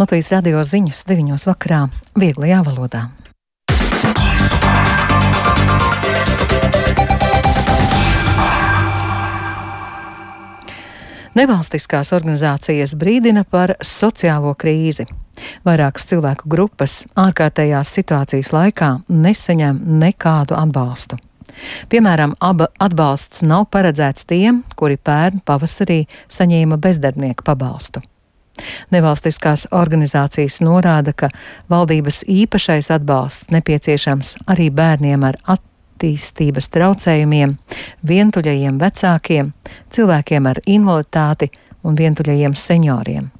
Latvijas radio ziņas 9 vakarā vieglajā valodā. Nevalstiskās organizācijas brīdina par sociālo krīzi. Vairākas cilvēku grupas ārkārtējās situācijas laikā nesaņem nekādu atbalstu. Piemēram, atbalsts nav paredzēts tiem, kuri pērn pavasarī saņēma bezdarbnieku pabalstu. Nevalstiskās organizācijas norāda, ka valdības īpašais atbalsts nepieciešams arī bērniem ar attīstības traucējumiem, vientuļajiem vecākiem, cilvēkiem ar invaliditāti un vientuļajiem senioriem.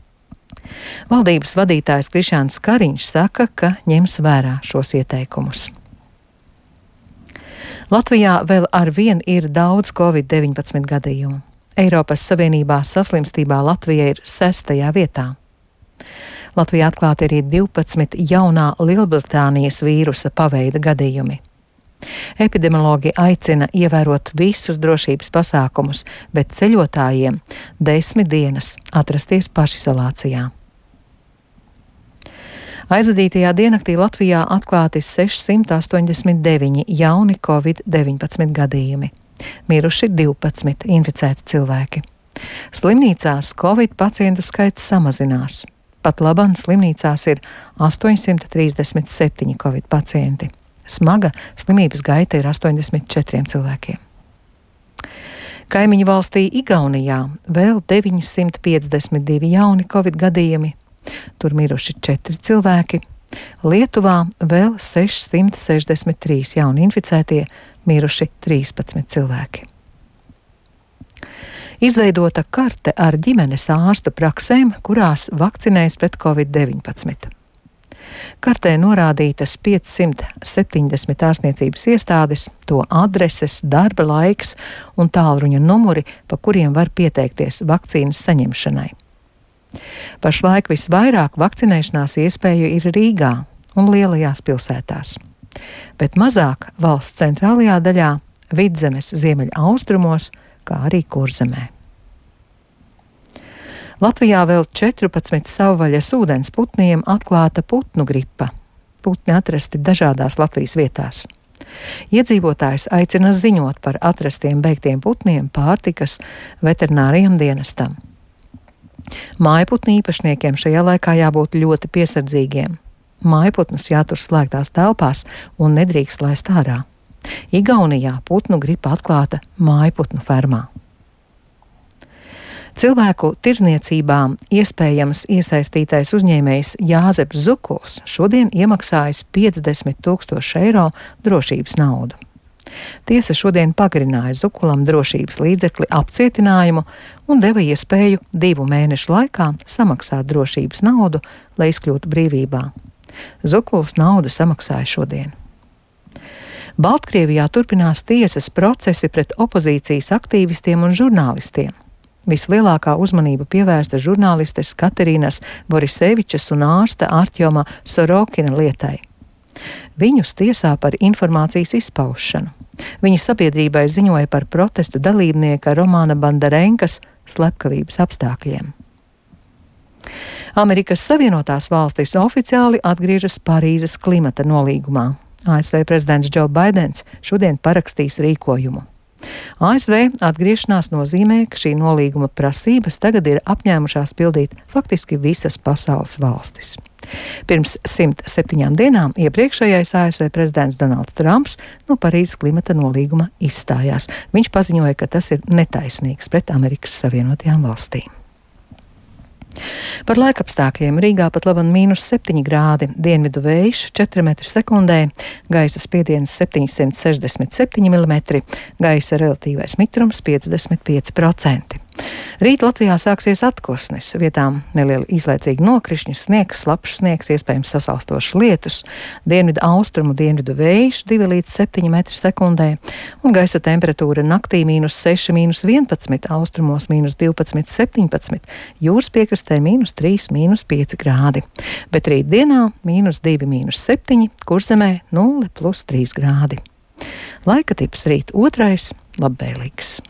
Valdības vadītājs Krišjāns Kariņš saka, ka ņems vērā šos ieteikumus. Latvijā vēl arvien ir daudz Covid-19 gadījumu. Eiropas Savienībā saslimstībā Latvija ir 6. vietā. Latvijā atklāti arī 12 jaunā Lielbritānijas vīrusa paveida gadījumi. Epidemiologi aicina ievērot visus drošības pasākumus, bet ceļotājiem 10 dienas atrasties pašizolācijā. Aizvadītajā diennaktī Latvijā atklāti 689 jauni Covid-19 gadījumi. Miruši 12 inficēti cilvēki. Slimnīcās Covid pacientu skaits samazinās. Pat labam slimnīcās ir 837 Covid pacienti. Smaga slimības gaita ir 84 cilvēkiem. Kaimiņu valstī Igaunijā vēl 952 jauni Covid gadījumi. Tur miruši 4 cilvēki. Lietuvā vēl 663 jauni inficētie, miruši 13 cilvēki. Izveidota karte ar ģimenes ārstu praksēm, kurās vakcinējas pret Covid-19. Kartē norādītas 570 ārstniecības iestādes, to adreses, darba laiks un tālruņa numuri, pa kuriem var pieteikties vakcīnas saņemšanai. Pašlaik visvairāk vakcinēšanās iespēju ir Rīgā un lielajās pilsētās, bet mazāk valsts centrālajā daļā, Vidzemes ziemeļa austrumos, kā arī Kurzemē. Latvijā vēl 14 savvaļas ūdens putniem atklāta putnu gripa. Putni atrasti dažādās Latvijas vietās. Iedzīvotājs aicina ziņot par atrastiem beigtiem putniem pārtikas veterinārijam dienestam. Mājputnu īpašniekiem šajā laikā jābūt ļoti piesardzīgiem. Mājputnus jātur slēgtās telpās un nedrīkst laist ārā. Igaunijā putnu gripa atklāta mājputnu fermā. Cilvēku tirdzniecībā iespējams iesaistītais uzņēmējs Jāzeps Zukuls šodien iemaksājis 50 000 eiro drošības naudu. Tiesa šodien pagarināja Zukulam drošības līdzekli apcietinājumu un deva iespēju 2 mēnešu laikā samaksāt drošības naudu, lai izkļūtu brīvībā. Zukuls naudu samaksāja šodien. Baltkrievijā turpinās tiesas procesi pret opozīcijas aktīvistiem un žurnālistiem. Vislielākā uzmanība pievērsta žurnālistes Katerīnas Borisevičas un ārsta Artjoma Sorokina lietai. Viņus tiesā par informācijas izpaušanu. Viņa sabiedrībai ziņoja par protestu dalībnieka Romāna Bandarenkas slepkavības apstākļiem. Amerikas Savienotās valstis oficiāli atgriežas Parīzes klimata nolīgumā. ASV prezidents Džo Baidens šodien parakstīs rīkojumu. ASV atgriešanās nozīmē, ka šī nolīguma prasības tagad ir apņēmušās pildīt faktiski visas pasaules valstis. Pirms 107 dienām iepriekšējais ASV prezidents Donalds Trumps no Parīzes klimata nolīguma izstājās. Viņš paziņoja, ka tas ir netaisnīgs pret Amerikas Savienotajām valstīm. Par laikapstākļiem Rīgā pat labam -7 grādi, dienvidu vējš 4 m/sekundē, gaisa spiediens 767 mm, gaisa relatīvais mitrums 55%. Rīt Latvijā sāksies atkusnis, vietām nelieli īslaicīgi nokrišņi, sniegs, slapjš sniegs, iespējams sasalstošs lietus, dienvidu austrumu dienvidu vējš 2 līdz 7 m/sekundē, un gaisa temperatūra naktī -6, -11, austrumos -12, 17, jūras piekrastē -3, -5 grādi, bet rīt dienā -2, -7, Kurzemē 0 + 3 grādi. Laika tips rīt 2. labvēlīgs.